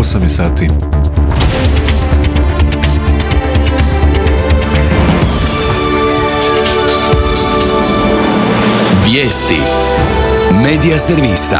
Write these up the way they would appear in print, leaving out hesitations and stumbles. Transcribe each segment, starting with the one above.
8 je sati. Vijesti Medija servisa.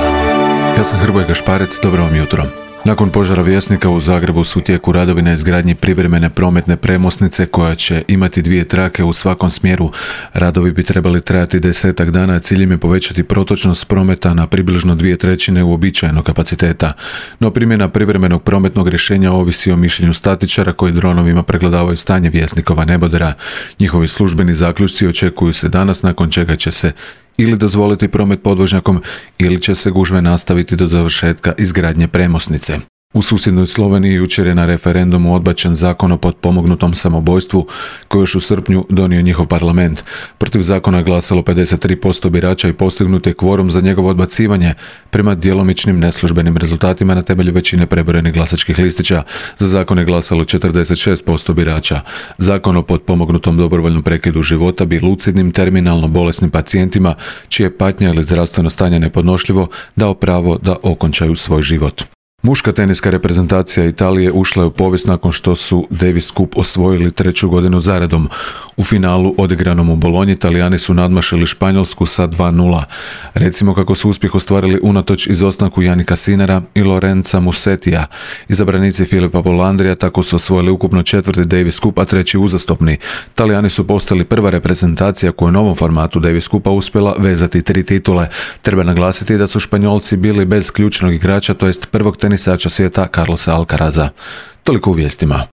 Ja sam Hrvoje Gašparec, dobro vam jutro. Nakon požara Vjesnika u Zagrebu su u tijeku radovi na izgradnji privremene prometne premosnice koja će imati 2 trake u svakom smjeru. Radovi bi trebali trajati 10 dana, a ciljem je povećati protočnost prometa na približno 2/3 uobičajenog kapaciteta. No primjena privremenog prometnog rješenja ovisi o mišljenju statičara koji dronovima pregledavaju stanje Vjesnikova nebodera. Njihovi službeni zaključci očekuju se danas, nakon čega će se ili dozvoliti promet podvožnjakom ili će se gužve nastaviti do završetka izgradnje premosnice. U susjednoj Sloveniji jučer je na referendumu odbačen zakon o potpomognutom samobojstvu koji još u srpnju donio njihov parlament. Protiv zakona je glasalo 53% birača i postignut je kvorum za njegovo odbacivanje prema djelomičnim neslužbenim rezultatima na temelju većine prebrojenih glasačkih listića. Za zakon je glasalo 46% birača. Zakon o potpomognutom dobrovoljnom prekidu života bi lucidnim terminalno bolesnim pacijentima čije patnja ili zdravstveno stanje nepodnošljivo dao pravo da okončaju svoj život. Muška teniska reprezentacija Italije ušla je u povijest nakon što su Davis Cup osvojili 3. godinu zaredom. U finalu odigranom u Bolonji Italijani su nadmašili Španjolsku sa 2:0. Recimo kako su uspjeh ostvarili unatoč izostanku Janika Sinera i Lorenza Musetija. Izabranici Filipa Polandrija tako su osvojili ukupno 4. Davis Cup, a 3. uzastopni. Italijani su postali prva reprezentacija koja u novom formatu Davis Cupa uspjela vezati 3 titule. Treba naglasiti da su Španjolci bili bez ključnog igrača, to jest prvog tenisača svijeta Carlosa Alcaraza. Toliko u vijestima.